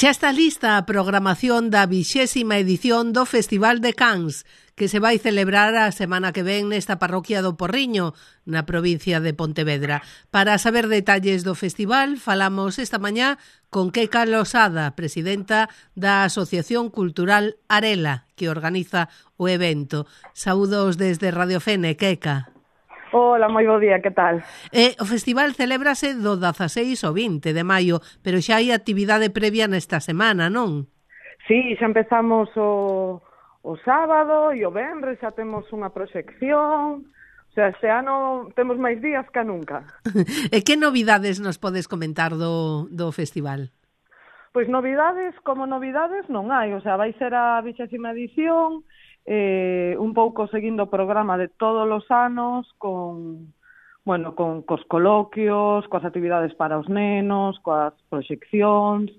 Xa está lista a programación da 20ª edición do Festival de Cans, que se vai celebrar a semana que ven nesta parroquia do Porriño, na provincia de Pontevedra. Para saber detalles do festival, falamos esta mañá con Queca Losada, presidenta da Asociación Cultural Arela, que organiza o evento. Saúdos desde Radio Fene, Queca. Hola, moi bo día, que tal? O festival celébrase do 16 ao 20 de maio, pero xa hai actividade previa nesta semana, non? Sí, xa empezamos o sábado e o venres, xa temos unha proxección. O sea, este ano temos máis días que nunca. E que novidades nos podes comentar do festival? Pois novidades, como novidades non hai, o sea, vai ser a 20ª edición, un pouco seguindo o programa de todos os anos, cos coloquios, coas actividades para os nenos, coas proxeccións.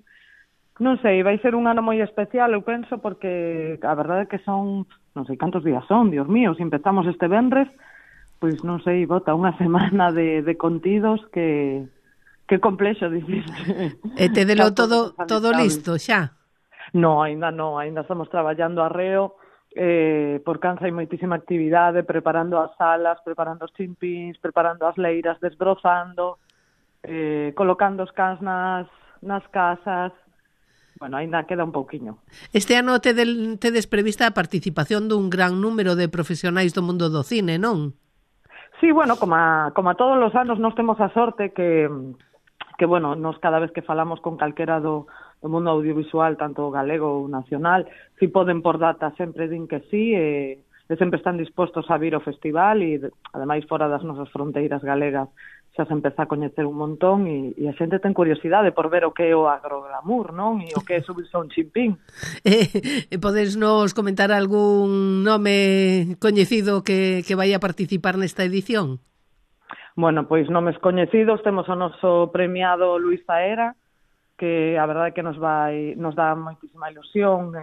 Non sei, vai ser un ano moi especial, eu penso, porque a verdade é que son, non sei cantos días son, Dios mío, se empezamos este venres, pois non sei, bota unha semana de contidos que complexo dicir. E tedelo todo listo xa? No, ainda estamos traballando arreo. Por Cans hai moitísima actividade, preparando as salas, preparando os chimpíns, preparando as leiras, desbrozando, colocando os cans nas casas. Bueno, ainda queda un pouquiño. Este ano tedes prevista a participación dun gran número de profesionais do mundo do cine, non? Sí, bueno, como a todos os anos nos temos a sorte que bueno, nos cada vez que falamos con calquera do mundo audiovisual, tanto galego ou nacional, si poden por data sempre din que sí, e sempre están dispostos a vir ao festival e, ademais, fora das nosas fronteiras galegas xa se empeza a coñecer un montón e a xente ten curiosidade por ver o que é o agroglamour, non? E o que é subirse a un chimpín. Podes nos comentar algún nome coñecido que vai a participar nesta edición? Bueno, pois nomes coñecidos, temos o noso premiado Luís Zaera, que a verdade é que nos dá moitísima ilusión,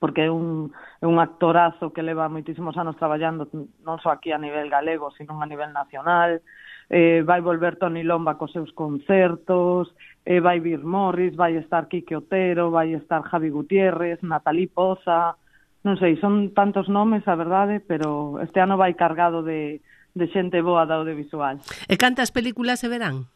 porque é un actorazo que leva moitísimos anos traballando non só aquí a nivel galego, sino a nivel nacional. Vai volver Toni Lomba cos seus concertos, vai vir Morris, vai estar Quique Otero, vai estar Javi Gutiérrez, Natalí Poza, non sei, son tantos nomes, a verdade, pero este ano vai cargado de xente boa da audiovisual. E cantas películas se verán?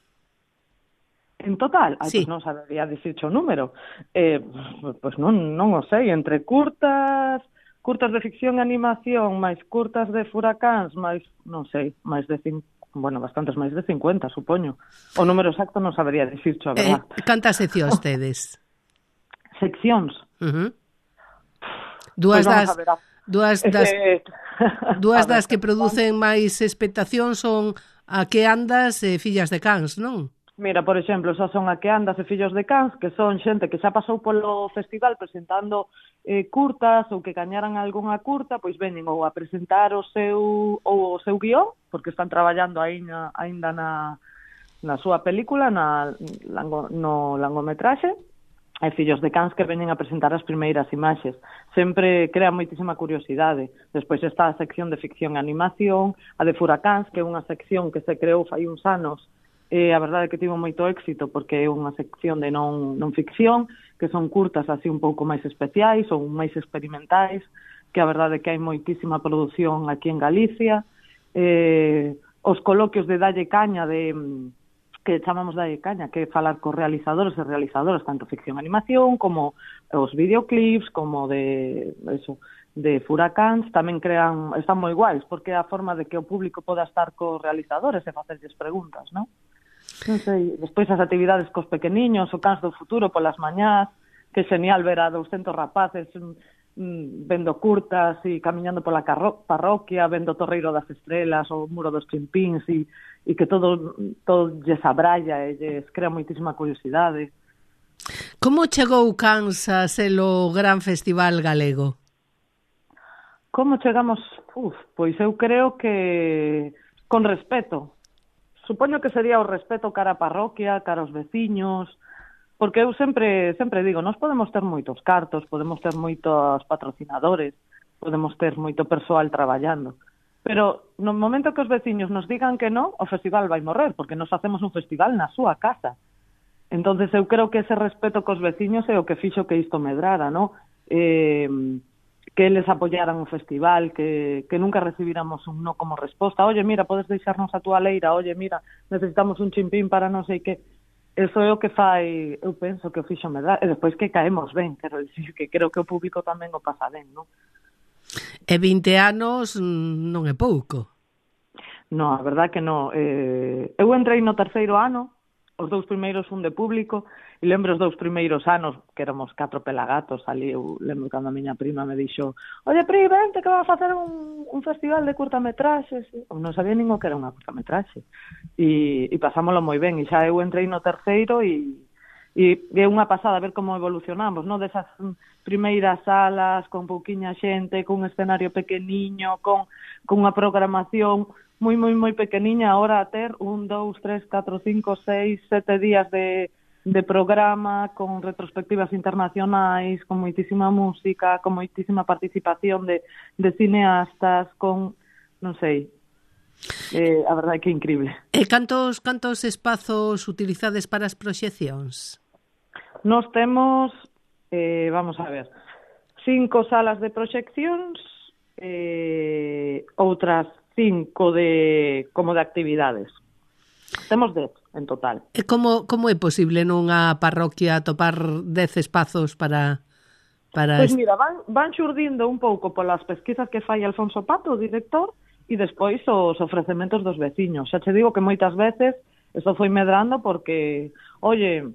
En total? Sí. Pois non sabería dicirche o número. Pois non o sei, entre curtas de ficción e animación, máis curtas de furacáns, máis, non sei, máis de bastantes máis de 50, supoño. O número exacto non sabería dicirche, a verdad. Cantas seccións tedes? Seccións? Dúas das que producen máis expectación son A que andas e Fillas de Cans, non? Mira, por exemplo, xa son A que andas e Fillos de Cans, que son xente que xa pasou polo festival presentando curtas ou que gañaran algunha curta, pois veñen ou a presentar o seu guión, porque están traballando aínda na súa película, no longometraxe, e Fillos de Cans que veñen a presentar as primeiras imaxes. Sempre crea moitísima curiosidade. Despois está a sección de ficción e animación, a de Furacáns, que é unha sección que se creou fai uns anos. A verdade é que tivo moito éxito porque é unha sección de non ficción, que son curtas así un pouco máis especiais ou máis experimentais, que a verdade é que hai moitísima produción aquí en Galicia. Os coloquios de Dalle Caña, que chamamos Dalle Caña, que é falar cos realizadores e realizadoras, tanto ficción e animación, como os videoclips, como de Furacáns, tamén están moi guais, porque é a forma de que o público poda estar cos realizadores e facerlles preguntas, non? Non sei, despois as actividades cos pequeniños, o Cans do Futuro polas mañás, que é genial ver a 200 rapaces vendo curtas e camiñando pola parroquia, vendo o Torreiro das Estrelas, o Muro dos Chimpíns, e que todo lles abralla e lles crea moitísima curiosidade. Como chegou Cans a ser o gran festival galego? Como chegamos? Pois eu creo que con respeto. Supoño que sería o respeto cara a parroquia, cara aos veciños, porque eu sempre digo, nós podemos ter moitos cartos, podemos ter moitos patrocinadores, podemos ter moito persoal traballando, pero no momento que os veciños nos digan que non, o festival vai morrer, porque nos facemos un festival na súa casa. Entonces eu creo que ese respeto cos veciños é o que fixo que isto medrara, ¿no? Que eles apoyaran o festival, que nunca recibíramos un no como resposta. Oye, mira, podes deixarnos a túa leira, oye, mira, necesitamos un chimpín para non sei que. Eso é o que fai, eu penso que o fixo medrar. E despois que caemos ben, quero dicir que creo que o público tamén o pasa ben, non? E 20 anos non é pouco. No, a verdad que non. Eu entrei no terceiro ano, os 2 primeiros fun de público, e lembro os 2 primeiros anos, que éramos 4 pelagatos ali, eu lembro cando a miña prima me dixo, oye, Pri, vente que va a facer un festival de curtametraxes. Eu non sabía nin o que era unha curtametraxe. E pasámoslo moi ben, e xa eu entrei no terceiro e é unha pasada ver como evolucionamos, non? Desas primeiras salas, con pouquiña xente, cun escenario pequeniño, con unha programación moi, moi, moi pequeniña, ahora a ter 1, 2, 3, 4, 5, 6, 7 días de programa, con retrospectivas internacionais, con moitísima música, con moitísima participación de cineastas, con, non sei, a verdade é que é increíble. E cantos espazos utilizades para as proxeccións? Nos temos, vamos a ver, 5 salas de proxeccións, outras 5 como de actividades. Temos 10 en total. E como é posible nunha parroquia atopar 10 espazos para Pois mira, van xurdindo un pouco polas pesquisas que fai Alfonso Pato, o director, e despois os ofrecementos dos veciños. Xa che digo que moitas veces eso foi medrando porque, oye,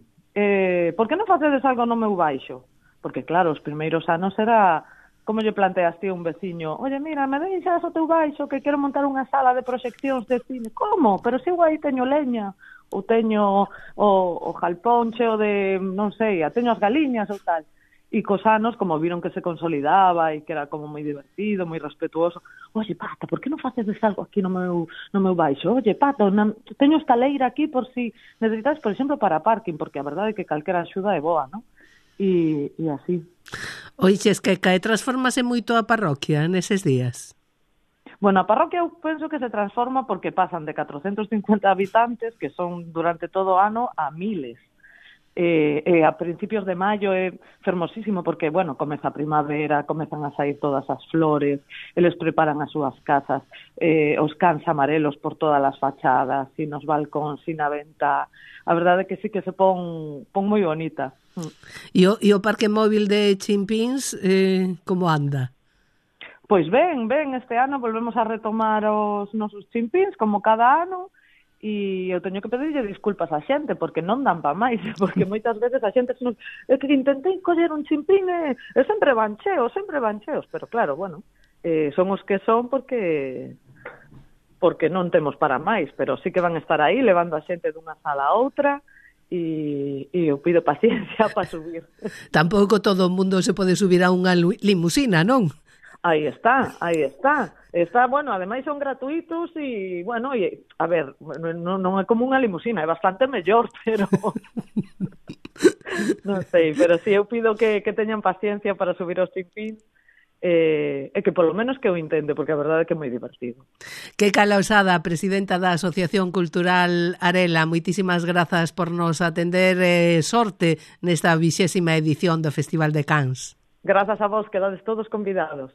por que non facedes algo no meu baixo? Porque claro, os primeiros anos era como lle planteaste a un veciño, oye, mira, me deixas o teu baixo que quero montar unha sala de proxeccións de cine. Como? Pero se eu aí teño leña, ou teño o jalpón cheo de, non sei, teño as galiñas ou tal. E cos anos, como viron que se consolidaba e que era como moi divertido, moi respetuoso, oye, Pato, por que non facedes algo aquí no meu baixo? Oye, Pato, teño esta leira aquí por si necesitas, por exemplo, para parking, porque a verdade é que calquera axuda é boa, non? E así. Oixes, que transformase moito a parroquia neses días? Bueno, a parroquia eu penso que se transforma porque pasan de 450 habitantes, que son durante todo o ano, a miles. A principios de maio é fermosísimo porque, bueno, comeza a primavera, comezan a sair todas as flores, eles preparan as súas casas, os cans amarelos por todas as fachadas, e nos balcóns, e na venta. A verdade é que sí que se pon moi bonita. E o parque móvil de Chimpíns, como anda? Pois ben, este ano volvemos a retomar os nosos chimpíns, como cada ano, e eu teño que pedirlle disculpas á xente, porque non dan pa máis, porque moitas veces a xente é que intentei coller un chimpín e sempre van cheos, pero claro, bueno, son os que son porque non temos para máis, pero sí que van estar aí levando a xente dunha sala a outra, e eu pido paciencia para subir. Tampouco todo o mundo se pode subir a unha limusina, non? Aí está. Está, bueno, ademais son gratuitos e, bueno, a ver, non é como unha limusina, é bastante mellor, pero non sei, pero si eu pido que teñan paciencia para subir aos chimpíns, e que polo menos que o intente, porque a verdade é que é moi divertido. Queica Lausada, presidenta da Asociación Cultural Arela, moitísimas grazas por nos atender, sorte nesta 20ª edición do Festival de Cans. Grazas a vos, quedades todos convidados.